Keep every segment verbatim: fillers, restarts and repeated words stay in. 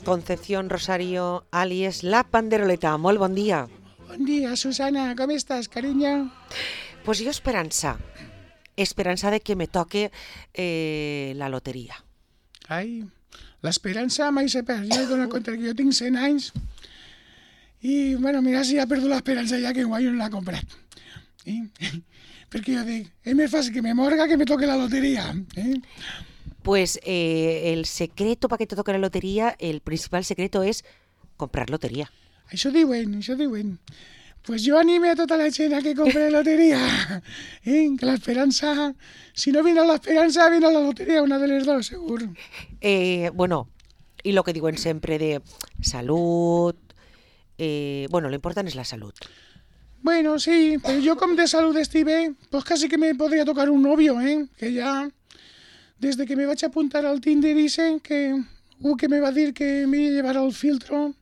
Concepción Rosario, alias La Panderoleta. Molt bon dia. Bon dia, Susana. Com estàs, carinyo? Pues jo esperança. Esperança de que me toque eh, la loteria. Ai, l'esperança mai se perd. Jo he donat compte que jo tinc cent anys i, bueno, mira si ha perdut l'esperança ja que guai no l'ha comprat. Eh? Perquè jo dic, és més fàcil que me morga que me toque la loteria. Eh? Pues eh, el secreto para que te toque la lotería, el principal secreto es comprar lotería. Això diuen, això diuen. Pues jo anime a tota la gent a que compre loteria. Eh? Que l'esperança, si no viene l'esperança, viene la loteria, una de les dos, segur. Eh, bueno, y lo que diuen sempre de salud, eh, bueno, lo importante es la salud. Bueno, sí, pero yo com de salud estic bé, pues casi que me podría tocar un novio, ¿eh? Que ya, desde que me vaig a apuntar al Tinder dicen que u que me va dir que me llevara el filtro,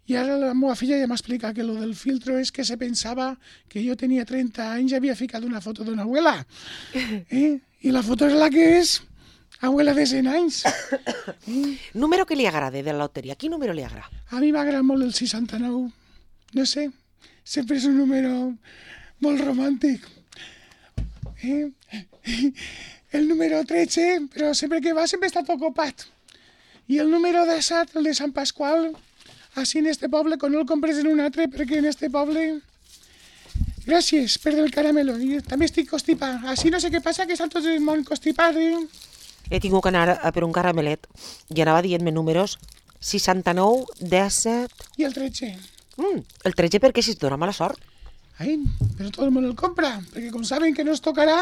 i ara la meva filla ja m'explica que lo del filtro és que se pensava que jo tenia trenta anys i havia ficat una foto d'una abuela. Eh? I la foto és la que és, abuela de cent anys. Eh? Número que li agrade de la loteria, quin número li agrada? A mi m'agrada molt el seixanta-nou, no sé, sempre és un número molt romàntic. Eh? El número tretze, però sempre que va sempre està tot copat. I el número disset, el de Sant Pasqual, així en este poble, quan no el compres en un altre, perquè en este poble... Gràcies per el caramelo, i també estic constipat. Així no sé què passa, que estan tots el món constipat, eh? He tingut que anar a per un caramelet i anava dient-me números seixanta-nou, disset... I el tretze. Mm, el tretze perquè si et dona mala sort. Ai, però tot el món el compra, perquè com saben que no es tocarà,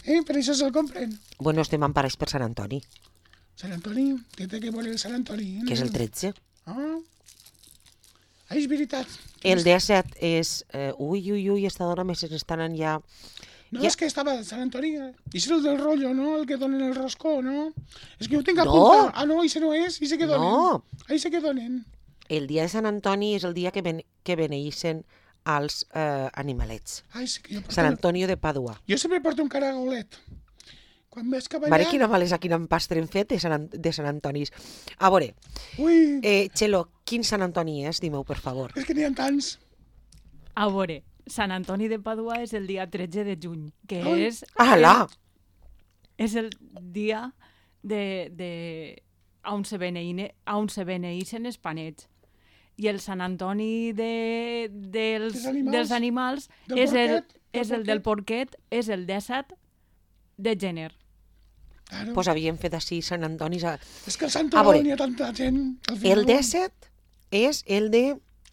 eh, per això se'l compren. Bueno, estem emparats per Sant Antoni, Sant Antoni, què té que veure el Sant Antoni? que és el tretze. Ah, ah és veritat. El disset és... Eh, ui, ui, ui, esta dona més estan ja... No, ja... és que estava a Sant Antoni. I és el del rotllo, no? El que donen el roscó, no? És que ho tinc No. apuntat. Ah, no, això no és, això que donen. No. Això que donen. El dia de Sant Antoni és el dia que, ben, que beneeixen als eh, animalets. Ai, sí que jo porto... Sant Antonio de Padua. Jo sempre porto un caragolet. Quan veig que Mare, quina malesa, quina empastre hem fet de Sant, An- de Sant Antonis. A veure, Ui, eh, Txelo, quin Sant Antoni és? Dime-ho, per favor. és que n'hi ha tants. A veure, Sant Antoni de Padua és el dia tretze de juny, que Ai. és, Ala! és el dia de, de, on, se beneïne, on se beneïcen els panets. I el Sant Antoni de, dels, Dels animals. dels animals Del és, el, porquet, del és el del porquet, és el disset de gener. Claro. Pues havíem fet així Sant Antonis. A... És que el Sant A veure, Antoni n'hi ha tanta gent. Al final, El disset és el de...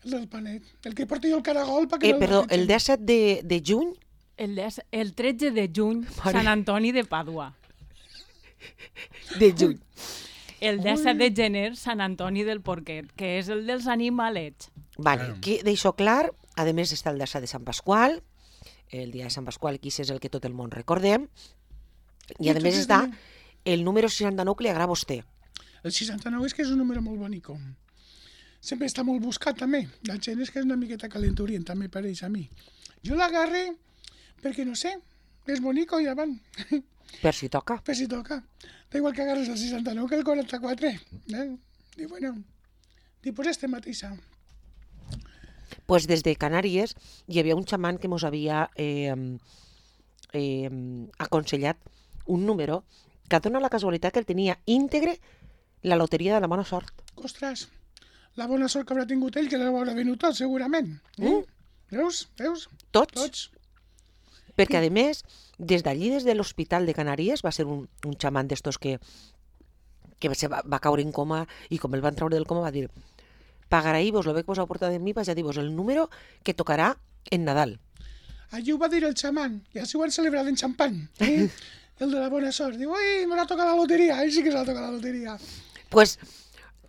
El del panet. El que porta jo el caragol perquè Eh, no perdó, el el disset de, de juny? El, des, el tretze de juny, Mare. Sant Antoni de Padua. De juny. El disset de gener, Sant Antoni del Porquet, que és el dels animalets. Vale, que deixo clar, a més està el disset de Sant Pasqual, el dia de Sant Pasqual, que és el que tot el món recordem, i a I més tot està és el número seixanta-nou que li agrada a vostè. El seixanta-nou és que és un número molt bonico. Sempre està molt buscat, també. La gent és que és una miqueta calenturient, també pareix a mi. Jo l'agarre perquè, no sé, és bonico i ja van. Per si toca. Per si toca. Da igual que agarres el seixanta-nou que el quaranta-quatre. Eh? I bueno, i pues este mateixa. Pues des de Canàries hi havia un xaman que mos havia eh, eh, aconsellat un número que dona la casualitat que el tenia íntegre la loteria de la bona sort. Ostres, la bona sort que haurà tingut ell, que l'haurà venut tot, segurament. Eh? Mm. Veus? Veus? Tots. Tots. Perquè, a més, des d'allí, des de l'Hospital de Canàries, va ser un, un xaman d'estos que, que se va, va caure en coma i com el van treure del coma va dir pagarà-vos, lo que vos heu portat de mi, vaig a dir-vos el número que tocarà en Nadal. Allí ho va dir el xaman, i així ho han celebrat en xampany. Eh? El de la bona sort. Diu, ui, me l'ha tocat la loteria. Ell sí que s'ha tocat la loteria. Pues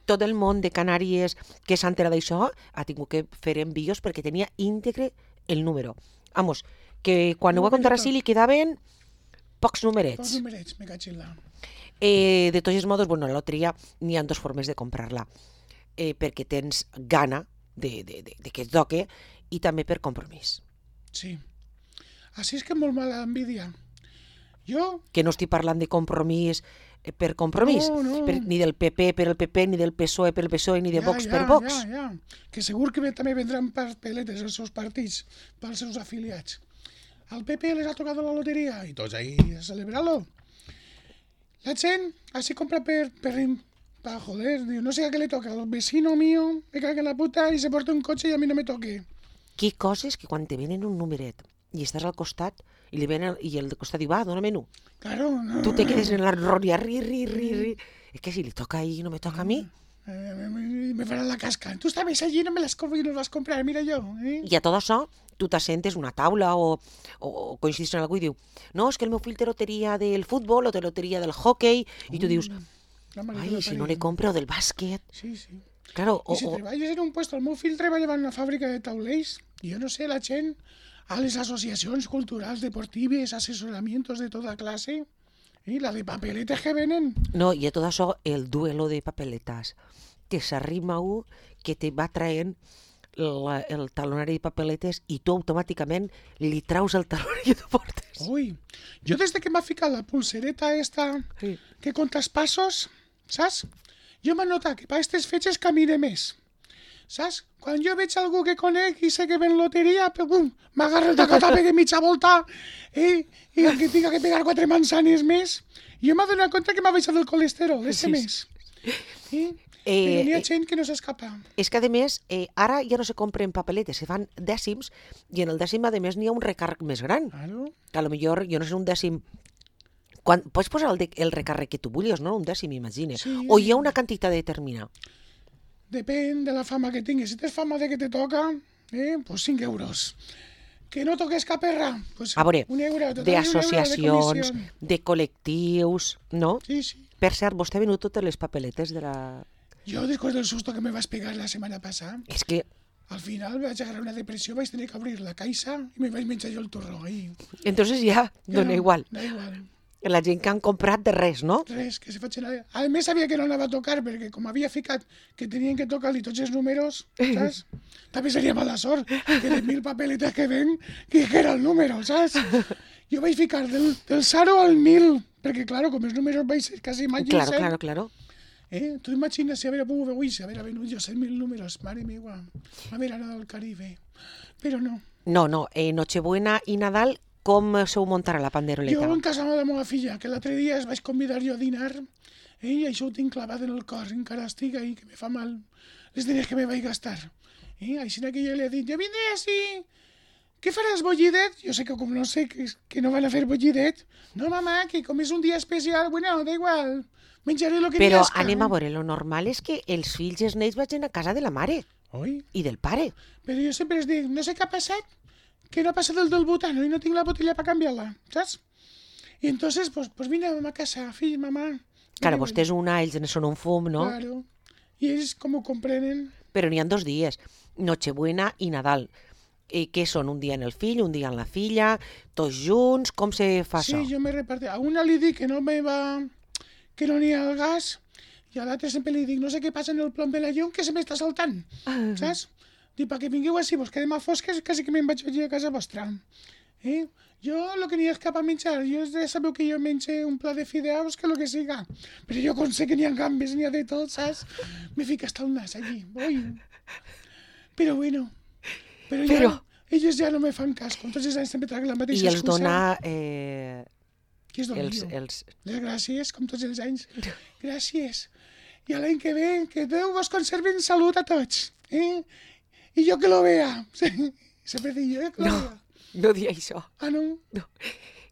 tot el món de Canàries que s'ha enterat d'això ha tingut que fer envios perquè tenia íntegre el número. Vamos, que quan ho va contar així li quedaven pocs Pocs numerets. numerets, me caig en la... Eh, de tots els modos, bueno, la loteria n'hi ha dues formes de comprar-la. Eh, perquè tens gana de, de, de, de que et toque i també per compromís. Sí. Així és que molt mala envidia. Jo, Que no estic parlant de compromís per compromís. No, no. Per, ni del P P per el P P, ni del P S O E per el P S O E, ni de Ja, Vox ja, per Vox. Ja, ja. Que segur que també vendran papeletes els seus partits pels seus afiliats. Al P P les ha tocat la loteria i tots ahí a celebrar-lo. La gent así compra per, per, para joder, diu, no sé a què le toca, al vecino mío me caga en la puta y se porta un cotxe i a mi no me toque. Que coses que quan te venen un numeret i estàs al costat i, li ven el, i el de costat diu, va, dóna-me-no. Claro, no. Tu te quedes en la roria, ri, ri, ri, ri. És que si li toca a ell i no me toca a mi. Eh, me, me faran la casca. Tu estaves allí, no me las compro y no las comprar, mira yo. Eh? I a tot això, tu t'assentes una taula o, o, o coincidis en algú i diu, no, és que el meu fill té loteria del futbol o té loteria del hockey, i tu dius, ai, si no li compro del bàsquet. Sí, sí. Claro, I o, si o, treballes en un puesto, el meu fill treballava en una fàbrica de taulells, i jo no sé, la gent, a les associacions culturals, deportives, assessoramientos de tota classe, i la de papeletes que venen. no, i a tot això, el duelo de papeletes, que s'arrima un que te va traient la, el talonari de papeletes i tu automàticament li traus el talonari que tu portes. Ui, jo des de que m'ha ficat la pulsereta esta Sí. que comptes passos, saps? Jo m'he notat que per aquestes fetges camine més, saps? Quan jo veig algú que conec i sé que ven loteria, pum, m'agarro el tacotà, pegue mitja volta, eh? I el que tinga que pegar quatre manzanes més, jo m'he donat compte que m'ha baixat el colesterol, ese Sí, mes. Eh? Eh, Però n'hi ha eh, gent que no s'escapa. És que, a més, eh, ara ja no se compren papeletes, se fan dècims, i en el dècim, a més, n'hi ha un recàrrec més gran. Claro. Que a lo millor, jo no sé, un dècim... Quan, pots posar el, de, el recàrrec que tu vulguis, no? Un dècim, imagina. Sí. O hi ha una quantitat determinada. Depèn de la fama que tinguis. Si tens fama de que te toca, eh, pues cinc euros. Que no toques cap erra, pues A veure, un euro. Total, un euro d'associacions, de comissió. de col·lectius, no? Sí, sí. Per cert, vostè ha venut totes les papeletes de la... Jo, después del susto que me vas pegar la semana pasada, És que, al final vaig agarrar una depressió, vaig tenir que obrir la caixa i me vaig menjar jo el torró ahí. entonces ja dona no, igual. Da igual. La gent que han comprat de res, no? Res, que se facin... A més, sabia que no anava a tocar, perquè com havia ficat que tenien que tocar-li tots els números, saps? També seria mala sort, que de mil papeletes que ven, que era el número, saps? Jo vaig ficar del, del zero al mil, perquè, claro, com els números vaig ser quasi mai Claro, claro, claro. Eh? Tu imagines si haver pogut avui, si haver venut jo cent mil números, mare meva, haver anat al Caribe. Però no. No, no, eh, Nochebuena i Nadal, com sou muntar a la panderoleta? Jo en casa de la meva filla, que l'altre dia es vaig convidar jo a dinar, eh? I això ho tinc clavat en el cor, encara estic ahí, que me fa mal les diners que me vaig gastar. Eh? Així que jo li he dit, jo vindré així, què faràs, bollidet? Jo sé que com no sé que, que no van a fer bollidet. No, mamà, que com és un dia especial, bueno, da igual, menjaré lo que Però m'esca. anem a veure, lo normal és que els fills i els nens vagin a casa de la mare Oi? i del pare. Però jo sempre els dic, no sé què ha passat, que no ha passat el del butano i no tinc la botella per canviar-la, saps? I entonces, pues, pues vine a casa, fill, mamà. Claro, vostè és una, ells en són un fum, no? Claro. I ells com ho comprenen. Però n'hi ha dos dies, Nochebuena i Nadal. Eh, què són? Un dia en el fill, un dia en la filla, tots junts, com se fa Sí, això? jo me repartí. A una li dic que no me va... que no n'hi ha el gas, i a l'altre sempre li dic, no sé què passa en el plom de la llum, que se m'està saltant, saps? Dic, perquè vingueu així, vos quedem a fosques, quasi que me'n vaig allí a casa vostra. Eh? Jo, el que n'hi ha cap a menjar, jo ja sabeu que jo menjo un pla de fideus, que el que siga. Però jo com sé que n'hi ha gambes, n'hi ha de tot, saps? Me fica hasta el nas allí, oi? Però bueno, però, Però- ja, ells ja no me fan cas, com tots els anys sempre traguen la mateixa I els excusa. dona eh, Qui és els, els, els... les gràcies, com tots els anys. Gràcies. I a l'any que ve, que Déu vos conservi en salut a tots. Eh? I jo que lo vea. Sempre dic jo, eh, que lo No. vea. No di això. Ah, no? No.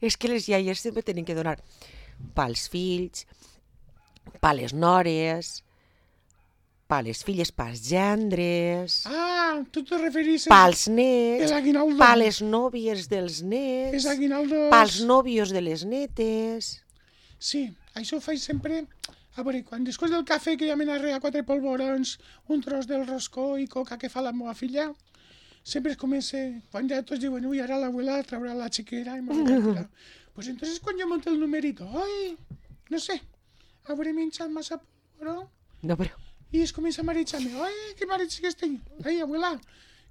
És que les iaies sempre tenen que donar pels fills, pa les nores, pa les filles, pels gendres, Ah, tu te referís pels nets, el aguinaldo. pa les nòvies dels nets, Els aguinaldos. pels nòvios de les netes... Sí, això ho faig sempre. A veure, quan després del cafè que ja me n'arrega quatre polvorons, un tros del roscó i coca que fa la meva filla, sempre es comença, quan ja tots diuen, ui, ara l'abuela traurà la xiquera i m'ho repartirà. Pues entonces quan jo monto el numerito, ai, no sé, hauré menjat massa polvoró, No, però... i es comença a marejar-me, ai, que mareig que estic, ai, abuela,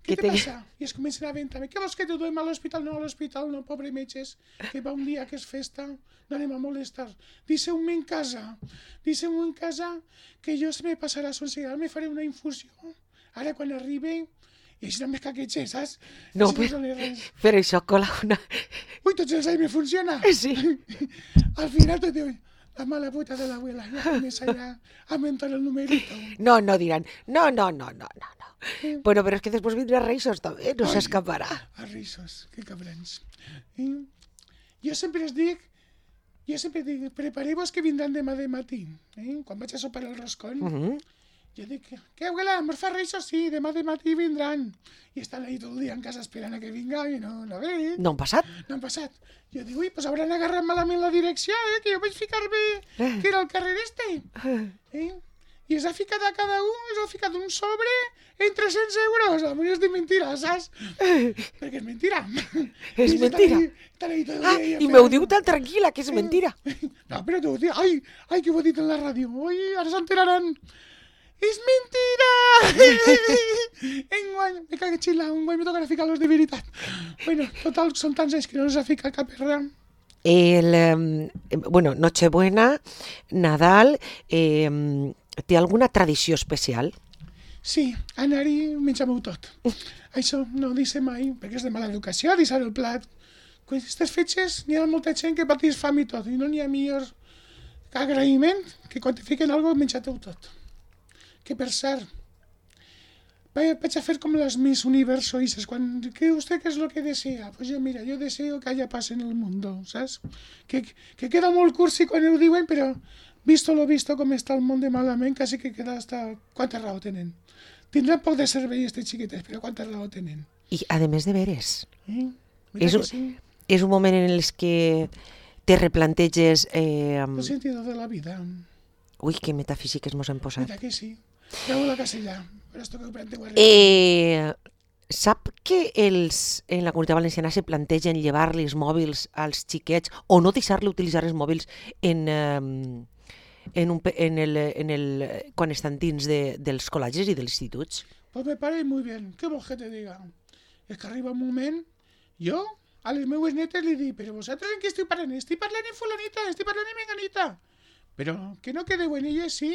què Que te te- passa? I es comencen a aventar. Què vols que te duem a l'hospital? No, a l'hospital no, pobre metges, que va un dia que és festa, no anem a molestar. Deixeu-me en casa, deixeu-me en casa, que jo se me passarà sense, ara me faré una infusió. Ara quan arribi, i així no me caquetxe, saps? No, Així però, sona res. però això cola una... Ui, tots els anys me funciona. Sí. Al final te diu, la mala puta de l'abuela, ja comienza ya a mentar el numerito. No, no dirán, no, no, no, no, no, no. Bueno, pero es que después vendrá Reixos también, no se Ai, escaparà. A rissos, que cabrons. I jo sempre es dic, jo sempre dic, prepareu-vos que vindran demà de matí. Eh? Quan vaig a sopar el roscón, Mhm. jo dic, què, abuela, mos fa reixos? Sí, demà de matí vindran. I estan ahí tot el dia en casa esperant a que vinga i no, no ve. No han passat? No han passat. Jo dic, ui, pues hauran agarrat malament la direcció, eh? Que jo vaig ficar-me que era el carrer este. Eh? I es ha ficat a cada un, es ha ficat un sobre en tres-cents euros. A mi és de mentira, saps? Perquè és mentira. És I estan mentira. ahí- estan ahí tot el Ah, dia i m'ho esperant. diu tan tranquil·la, que és mentira. No, però t'ho dic. Ai, ai, que ho he dit en la ràdio. Ai, ara s'enteraran. És mentira! Enguany, me cague xila, enguany me tocarà ficar los de veritat. Bueno, total, són tants anys que no s'ha ficat cap erra. El, eh, bueno, Nochebuena, Nadal, eh, té alguna tradició especial? Sí, anar-hi menjar-m'ho tot. Això no dice mai, perquè és de mala educació, deixar el plat. Quan aquestes fetges n'hi ha molta gent que patís fam i tot, i no n'hi ha millor agraïment que quan te fiquen alguna cosa menjar-te-ho tot. Que per cert, vaig vaig a fer com les Miss Universo Ises, quan, ¿qué usted qué es lo que desea? Pues yo, mira, yo deseo que haya paz en el mundo, saps? Que, que queda molt cursi quan ho diuen, però visto lo visto com està el món de malament, quasi que queda hasta... Quanta raó tenen? Tindran poc de cervell, estes xiquetes, però quanta raó tenen? I, a més de veres, Eh? Mira és, que un- sí, és un moment en el que te replanteges... Eh, el sentido de la vida. ui, que metafísiques mos hem posat. Mira que sí. Treu la casella, però esto que ho planteu arriba. Eh, sap que els, en la Comunitat Valenciana se plantegen llevar-li els mòbils als xiquets o no deixar-li utilitzar els mòbils en, eh, en, un, pe- en, el, en el, quan estan dins de, dels col·legis i dels instituts? Pues me parece muy bien. ¿Qué vols que te diga? Es que arriba un moment, jo a les meues netes li dic, però vosaltres en què estiu parlant? Estic parlant en fulanita, estic parlant en menganita. Però que no quedeu en elles, sí.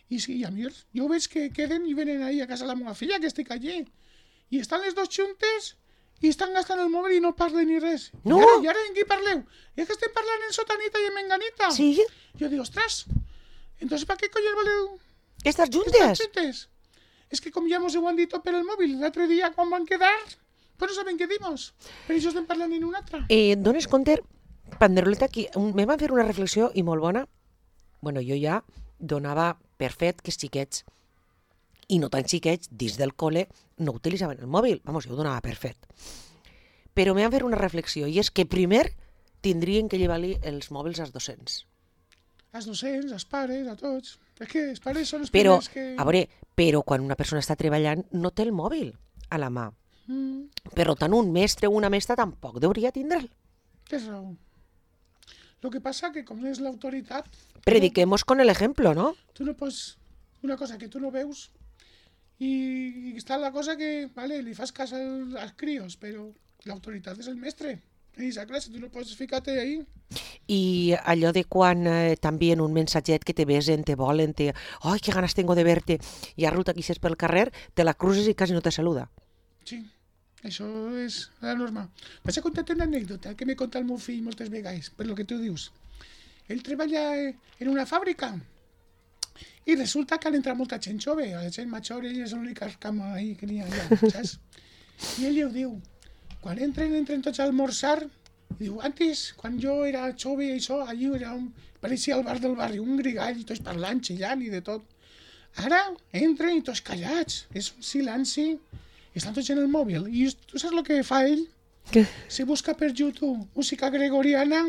I sí, a mi, jo veig que queden i venen ahí a casa la meva filla, que estic allí. I estan les dos juntes i estan gastant el mòbil i no parlen ni res. No. I ara, i ara en qui parleu? I és que estem parlant en sotanita i en menganita. Sí? Jo dic, ostres, entonces ¿para qué coño voleu Estas estar juntes? juntes? Es que com ja mos ho han dit tot per el mòbil, l'altre dia quan van quedar, pues no saben què dimos. Per això estem parlant en una altra. Eh, dones compte, Panderoleta, aquí un- me van fer una reflexió i molt bona. Bueno, jo ja donava per fet que els xiquets, i no tan xiquets, dins del col·le, no utilitzaven el mòbil. Vamos, jo ho donava per fet. Però me van fer una reflexió, i és que primer tindrien que llevar-li els mòbils als docents. Els docents, els pares, a tots. És que els pares són els Però, primers que... a veure, però quan una persona està treballant no té el mòbil a la mà. Mm, Per tant, un mestre o una mestra tampoc deuria tindre'l. tens raó. Lo que passa que com és l'autoritat, Prediquemos con el ejemplo, ¿no? tu no pots... Una cosa que tu no veus i, i està la cosa que, vale, li fas cas als, als crios, però l'autoritat és el mestre. I esa classe, tu no pots ficar-te ahí. I allò de quan eh, també en un mensatget que te besen, te volen, te... Ai, que ganes tengo de verte, i a ruta que ixes pel carrer, te la cruces i quasi no te saluda. Sí, això és la norma. Vaig a contar-te una anècdota que m'he contat el meu fill moltes vegades, per lo que tu dius. Ell treballa eh, en una fàbrica i resulta que han entrat molta gent jove, la gent major, ell és l'única cama ahí que n'hi ha allà, saps? I ell ja ho diu, quan entren, entren tots a almorzar, i diu, antes, quan jo era jove i això, allí era un, pareixia el bar del barri, un grigall, tots parlant, xillant i de tot. Ara entren i tots callats, és un silenci, i estan tots en el mòbil. I tu saps el que fa ell? Què? Se busca per YouTube música gregoriana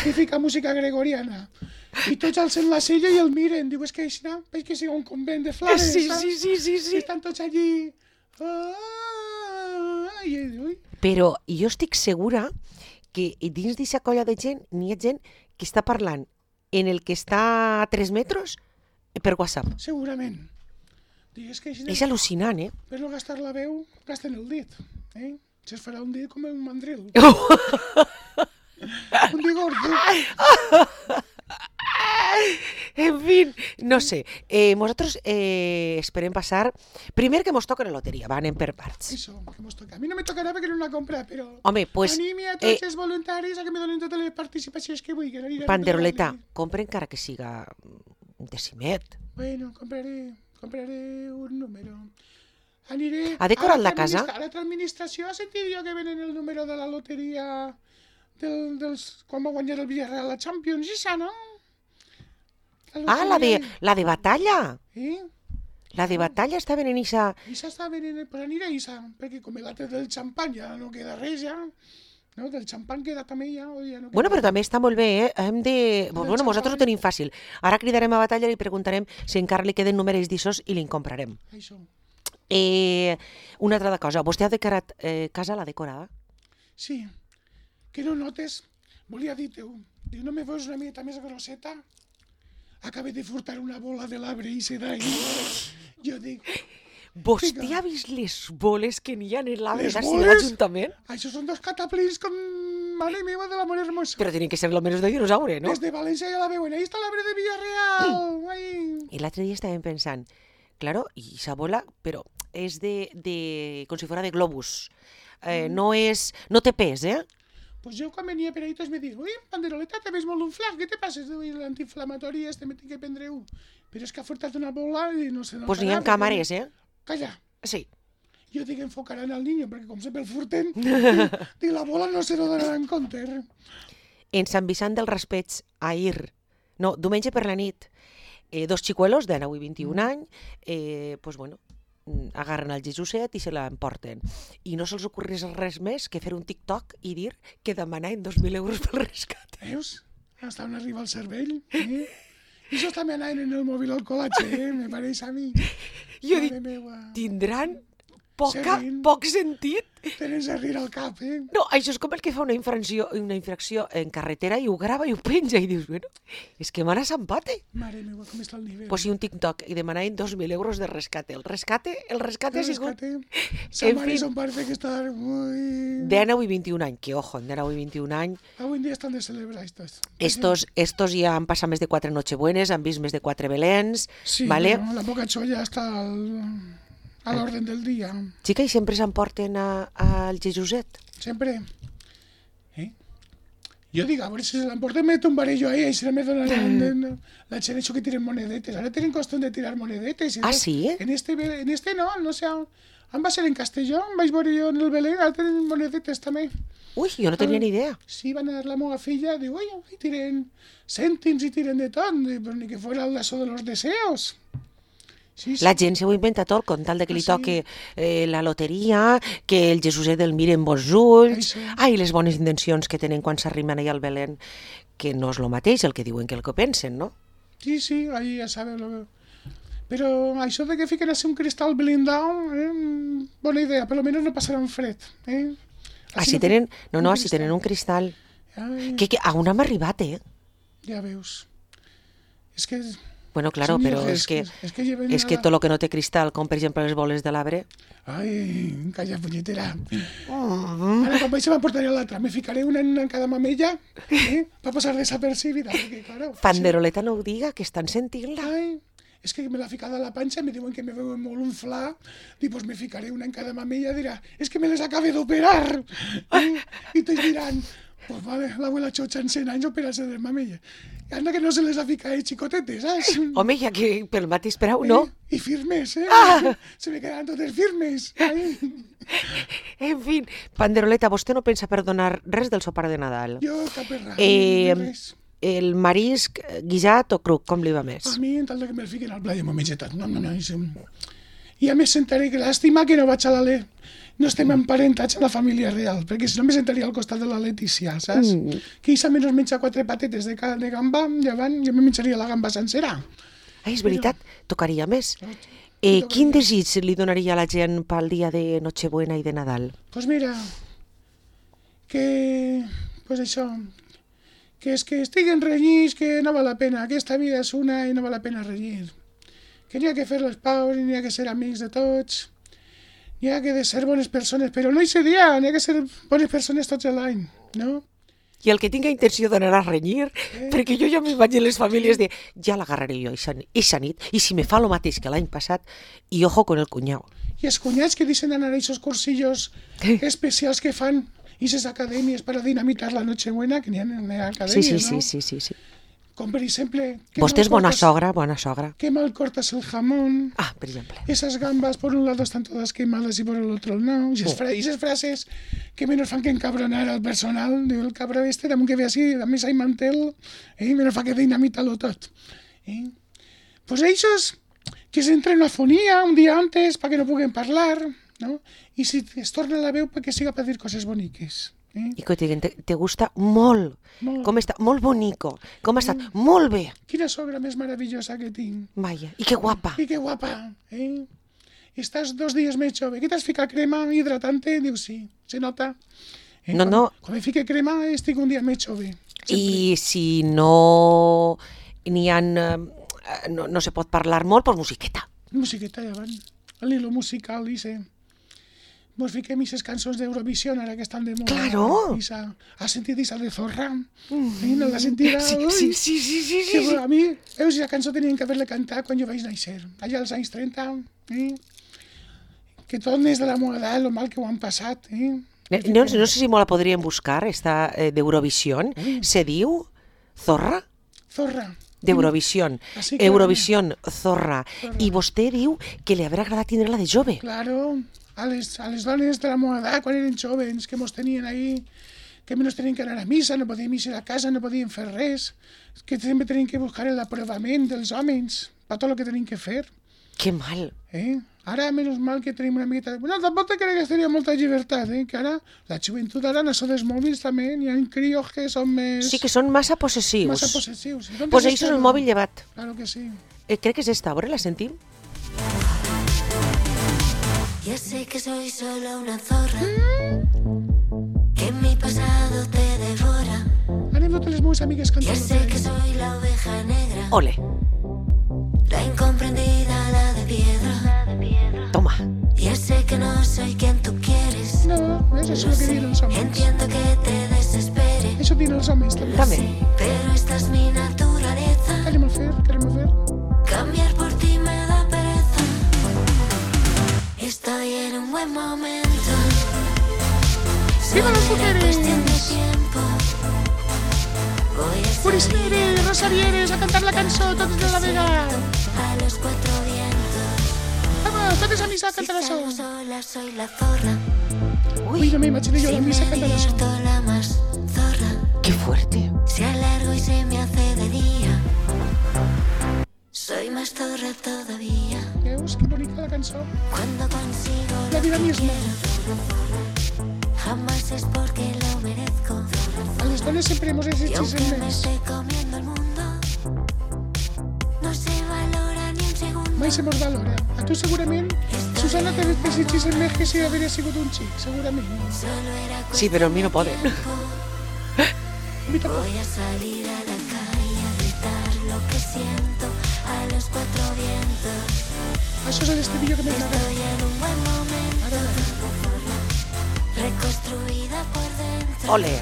i fica música gregoriana. I tots alcen la sella i el miren. Diu, és que així, no? Veig que sigui un convent de flares, Sí, saps? sí, sí, sí, I sí. estan tots allí. Ah, i ell diu, ui, Però jo estic segura que dins d'aquesta colla de gent n'hi ha gent que està parlant en el que està a tres metres per WhatsApp. segurament. Digues que així, És al·lucinant, eh? per no gastar la veu, gasten el dit. Eh? Se es farà un dit com un mandril. Un dit gordo. En fin, no sé. Eh, nosaltres eh, esperem passar... Primer que mos toquen la loteria, va, anem per parts. Això, que mos toca. A mi no me tocarà perquè no la compra, però... Home, pues... Animi a tots eh, els voluntaris a que me donin totes les participacions que vull. Que no aniré a Panderoleta, regalar-li. compra encara que siga un decimet. Bueno, compraré, compraré un número. Aniré... Ha decorat a la l'altra casa? administra- A l'altra administració ha sentit jo que venen el número de la loteria del, dels, quan va guanyar el Villarreal la Champions, i ça, no? Ah, la de, la de batalla. Eh? La de batalla està venent ixa... Isa està venint, pues aniré a Isa, perquè com l'altre del xampany ja no queda res ja, no? Del xampany queda també ja, o ja no queda Bueno, però també està molt bé, eh? Hem de... Bueno, xampany. nosaltres ho tenim fàcil. Ara cridarem a batalla i li preguntarem si encara li queden números d'issos i li'n comprarem. Això. Eh, una altra cosa, vostè ha decorat eh, casa, l'ha decorada? Sí, que no notes, volia dir-te-ho, diu, no me veus una miqueta més grosseta? Acabé de furtar una bola de l'arbre i se d'ahí. Jo dic, Vostè Vinga. ha vist les boles que n'hi ha en l'arbre Les de boles? l'Ajuntament? això són dos cataplins con mare meva de l'amor hermoso. Però tenen que ser almenys de dinosaure, no? Des de València ja la veuen, ahí està l'arbre de Villarreal. Ai. I l'altre dia estàvem pensant, claro, i esa bola, però és de, de com si fora de globus. Eh, no és, no té pes, eh? Pues jo quan venia per ahí tots me diuen, ui, Panderoleta, te ves molt un flac, què te passa? L'antiinflamatori este me tinc que prendre un. Però és que ha furtat una bola i no sé... Pues n'hi ha càmeres, eh? Calla. Sí. Jo dic, enfocaran al niño, perquè com sempre el furten, dic, dic, la bola no se lo donaran compte. En Sant Vicent del Raspeig, ahir, no, diumenge per la nit, eh, dos xicuelos de nou i vint-i-un anys, eh, pues bueno, mm, agarren el Jesuset i se l'emporten. I no se'ls ocorreix res més que fer un TikTok i dir que demanaven dos mil euros pel rescat. Veus? Hasta on arriba el cervell. Eh? I això també anaven en el mòbil al col·latge, eh? Me pareix a mi. Jo Mare dic, meua. tindran poca, Serrín. poc sentit. Tenen serrir al cap, eh? No, això és com el que fa una infracció, una infracció en carretera i ho grava i ho penja i dius, bueno, és que mare s'empate. Mare meua, com està el nivell. Pues sí, un TikTok i demanaven dos mil euros de rescate. El rescate, el rescate ha El sigut rescate. Sa En mare fin. son parece que estar muy... de nou i vint-i-un anys, que ojo, de nou i vint-i-un anys, Avui en dia estan de celebrar estos. estos, estos ja han passat més de quatre Nochebuenes, han vist més de quatre Belens, Sí, vale? bueno, la boca xolla està al, a l'orden del dia. Xica, i sempre s'emporten a- al Jesuset. Sempre. Eh? Jo dic, a veure si se l'emporten, me tombaré jo ahí, i se me donaran la gent això que tiren monedetes. Ara tenen costum de tirar monedetes. Ah, sí? En este, en este no, no sé, on va ser en Castelló, em vaig veure jo en el Belén, ara tenen monedetes també. Ui, jo no tenia ni idea. Sí, van a dar la meva filla, digo, oye, y tiren cèntims i tiren de tot, però ni que fuera el lazo de los deseos. Sí, sí. La gent se ho inventa tot con tal de que li Ah, sí? toque eh, la loteria, que el Jesuset el mire amb bons ulls, Això. ai, les bones intencions que tenen quan s'arrimen allà al Belén, que no és el mateix el que diuen que el que pensen, no? Sí, sí, ahí ya sabes lo que... Pero això de que fiquen así un cristal blindado, eh, bona idea, per lo menos no passaran fred. Eh? Així no- tenen, no, no, un així tenen un cristal. Ai, Que, que a on hem arribat, eh? ja veus. És que... Bueno, claro, Sí, però mira, és és que, que- és que lleven és a que la- tot el que no té cristal, com per exemple les boles de l'arbre... Ai, calla, punyetera. Oh. Ara, quan vaig se m'emportaré l'altra, me ficaré una en cada mamella, eh? Per passar desapercibida, perquè, claro... Panderoleta no ho diga, que estan sentint-la. Ai, és que me l'ha ficat a la panxa, me diuen que me veuen molt un fla, i pues me ficaré una en cada mamella, dirà, és que me les acabe d'operar. Eh? I tots diran, pues vale, l'abuela Xocha en cent anys operar-se de mamella. Anda que no se les ha ficat xicotetes, saps? Home, ja que pel mateix preu, no? Eh? I firmes, eh? Ah! Se me quedaran totes firmes. Ai. En fi, Panderoleta, vostè no pensa perdonar res del sopar de Nadal? Jo cap errat, Eh, eh... res. El marisc guisat o cruc, com li va més? A mi, en tal de que me'l fiquen al pla, jo m'ho menjo tot. No, no, no. I, I a més sentaré que làstima que no vaig a la Le... No estem emparentats a la família real, perquè si no me sentaria al costat de la Letícia, saps? Mm. Que ella menys menja quatre patetes de, ca- de gamba, llevant, jo me menjaria la gamba sencera. Ah, és veritat, tocaria més. Sí, Eh, tocaria. quin desig li donaria a la gent pel dia de Nochebuena i de Nadal? Pues mira, que... Pues això, que és que estiguen renyits, que no val la pena, aquesta vida és una i no val la pena renyir. que n'hi ha que fer les paus, n'hi ha que ser amics de tots, n'hi ha que de ser bones persones, però no hi seria, n'hi ha que ser bones persones tots l'any, no? I el que tinga intenció d'anar a renyir, eh? perquè jo ja m'imagino les famílies de ja l'agarraré jo eixa nit, i si me fa lo mateix que l'any passat, i ojo con el cunyau. I els cunyats que deixen anar a aquests cursillos Eh? especials que fan, i aquestes acadèmies per a dinamitar la Nochebuena, que n'hi ha, n'hi ha acadèmies, Sí, sí, no? sí, sí, sí, sí. Com per exemple... que Vostè és mal bona cortas- sogra, bona sogra. Que mal cortas el jamón, Ah, per exemple. esas gambas por un lado están todas quemadas y por el otro no, y esas, fra y esas frases que menos fan que encabronar al personal, diu el cabra este, damunt que ve així, a més hay mantel, eh, menos fa que dinamita-lo tot. Eh? Pues ells que s'entren a fonia un dia antes perquè no puguen parlar, no? I si es torna la veu perquè siga per dir coses boniques. Eh? I que te, te, te gusta molt. Molt. Com està? Molt bonico. Com ha estat? Molt bé. Quina sogra més meravellosa que tinc. Vaja. I que guapa. I que guapa, eh? Estàs dos dies més jove. Què t'has ficat crema hidratante? Diu, sí, se nota. Eh? No, quan, no. Quan me fique crema estic un dia més jove. Sempre. I si no n'hi ha... No, no se pot parlar molt, doncs musiqueta. Musiqueta ja van. L'hilo musical, dice. Vos fiquem aquestes cançons d'Eurovisió ara que estan de moda. Claro. Isa, ¿has sentido esa de Zorra? Eh, ¿No la sentida? Sí, Uy, sí, sí, sí, sí, que sí. a mi, veus, aquesta cançó tenien que haver-la cantat quan jo vaig néixer, allà als anys trenta, eh? Que tot n'és de la meva edat, lo mal que ho han passat, eh? No, no sé si me la podríem buscar, esta eh, d'Eurovisió. Se diu Zorra? Zorra. D'Eurovisió. Así que- Eurovisió, Zorra. Zorra. I vostè diu que li haurà agradat tindre-la de jove. Claro, a les, a les dones de la meva edat, quan eren jovens, que mos tenien ahí, que menos tenien que anar a missa, no podíem ir a casa, no podíem fer res, que sempre tenien que buscar l'aprovament dels homes per tot el que tenien que fer. Que mal. Eh? Ara, menys mal que tenim una miqueta... Bueno, tampoc te crec que tenia molta llibertat, eh? Que ara, la joventut ara, en això dels mòbils també, hi ha crios que són més... Sí que són massa possessius. Massa possessius. Doncs pues ells són el mòbil llevat. Claro que sí. Eh, crec que és esta, a veure, la sentim? Ya sé que soy solo una zorra, que mi pasado te devora. Anem totes les meves amigues Ya cantant. sé que soy la oveja negra, Ole, la incomprendida, la de piedra. toma. Ya sé que no soy quien tú quieres. No, és això el que diuen els homes. Entiendo que te desespere, Això diuen els homes també. També. pero esta es mi naturaleza. Querem fer, querem fer. Cambiar por ti me da pereza. Estoy en un buen momento. ¡Viva las Solo era mujeres! cuestión de tiempo. Voy a Puris salir Mire, Rosa Vieres, a cantar la cançó, tots de la vega. a los cuatro vientos. Vamos, totes a missa a Si cantar això. salgo sola soy la zorra. Ui, no m'imagino jo a la Si missa me cantant això. divierto la más zorra. Que fuerte. Si alargo y se me hace de día, soy más zorra todavía. Veus, que bonica la cançó. Cuando consigo La lo vida que misma. quiero, jamás es porque lo merezco. A les dones sempre hemos Y existit aunque en me més. esté comiendo el mundo, no se valora ni un segundo. Mai se mos valora. A tu segurament, Susana, te desitgis en més que si hauria sigut un xic, segurament. Solo era Sí, però a mi no poden. Mira, Voy a salir a la calle a gritar lo que siento a los cuatro vientos. això és l'estribillo que m'agrada. Estoy en un buen momento, Ara, reconstruida por dentro. Ole.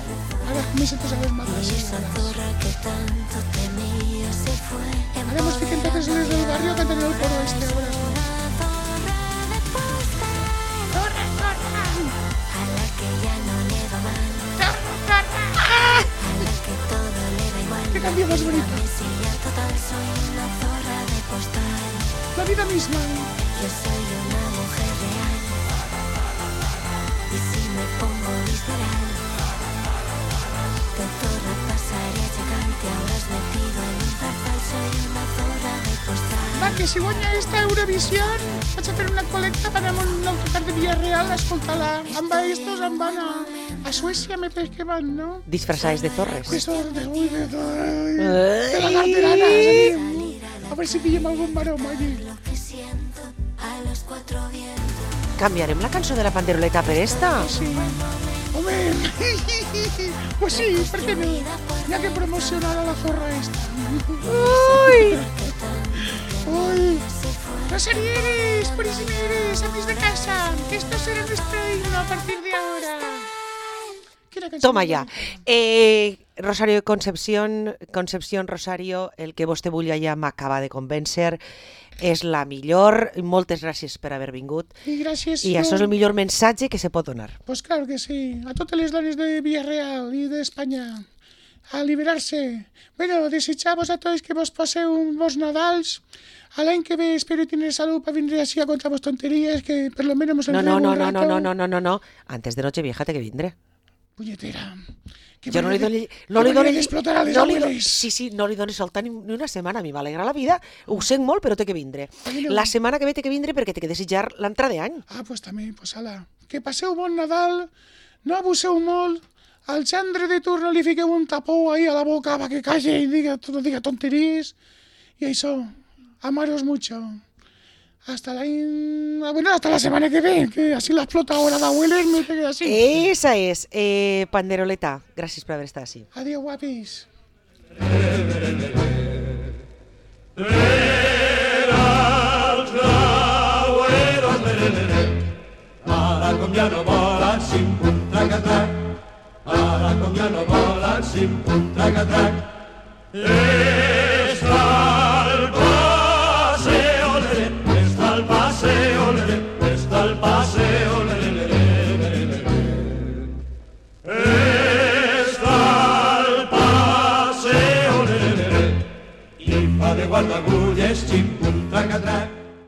ara me sento a les mates. Y esa zorra que tanto temía se fue. Ara mos fiquem totes les del barrio cantant el coro este. Ara. Una zorra de posta, Corre, corre! a la que ya no le va mal, ¡Ah! a la que todo le da igual. ¡Qué cambio más bonito! Mesía total, soy una zorra de postal. La vida misma. Yo soy una mujer real. Y si me pongo visceral, de zorra pasaré a chacal. Te habrás metido en un zarzal. Soy una zorra de postal. Va, que si guanya esta Eurovisió, vaig a fer una col·lecta per anar a un autocar de Villarreal a escoltar-la. Amb estos em van a, a Suècia, me parece que van, no? Disfressades de zorres. Eso de, uy, de, de, de la carterana, ¿sí? A ver si pillem algun baroma allí. Lo que siento a los cuatro vientos. Canviarem la cançó de la panderoleta per esta? Sí. Home, pues sí, per què no? Hi ha que promocionar a la zorra esta. Ui! Ui, Rosarieres, purísimeres, amis de casa, esto será nuestro himno a partir de ahora. Quina cançó Toma més ja. bonica. Eh, Rosario de Concepción, Concepción Rosario, el que vostè vulgui ja m'acaba de convèncer, és la millor. Moltes gràcies per haver vingut. I gràcies. I jo- això és el millor missatge que se pot donar. Pues claro que sí, a totes les dones de Villarreal i d'Espanya, a liberar-se. Bueno, desitjamos a tots que vos passeu un bons Nadals. A l'any que ve espero tener salud para venir así a contar vos tonterías, que per lo menos nos No, no, entrego no, un no, rato. no, no, no, no, no. Antes de Nochevieja té que vindre. Punyetera. Que Jo no li manera doni... de- No que li manera doni... d'explotar a les no li do- abueles. Sí, sí, no li doni soltar ni, ni una setmana. A mi m'alegra la vida. Ho sent molt, però té que vindre. mi no. La setmana que ve té que vindre perquè té que desitjar l'entrada d'any. Ah, pues també, pues ala. Que passeu bon Nadal, no abuseu molt, al gendre de turno li fiqueu un tapó ahí a la boca para que calle y diga, no diga tonterías. Y eso, amaros mucho. Hasta la... in- Bueno, hasta la semana que viene, que así la explota ahora de abuelas, me quedé así. Esa és. Eh, Panderoleta, gràcies per haver estat així. Adiós, guapis. Ara com ja no volen sim pum traca-trac, ara com ja no volen sim pum traca-trac. Eh!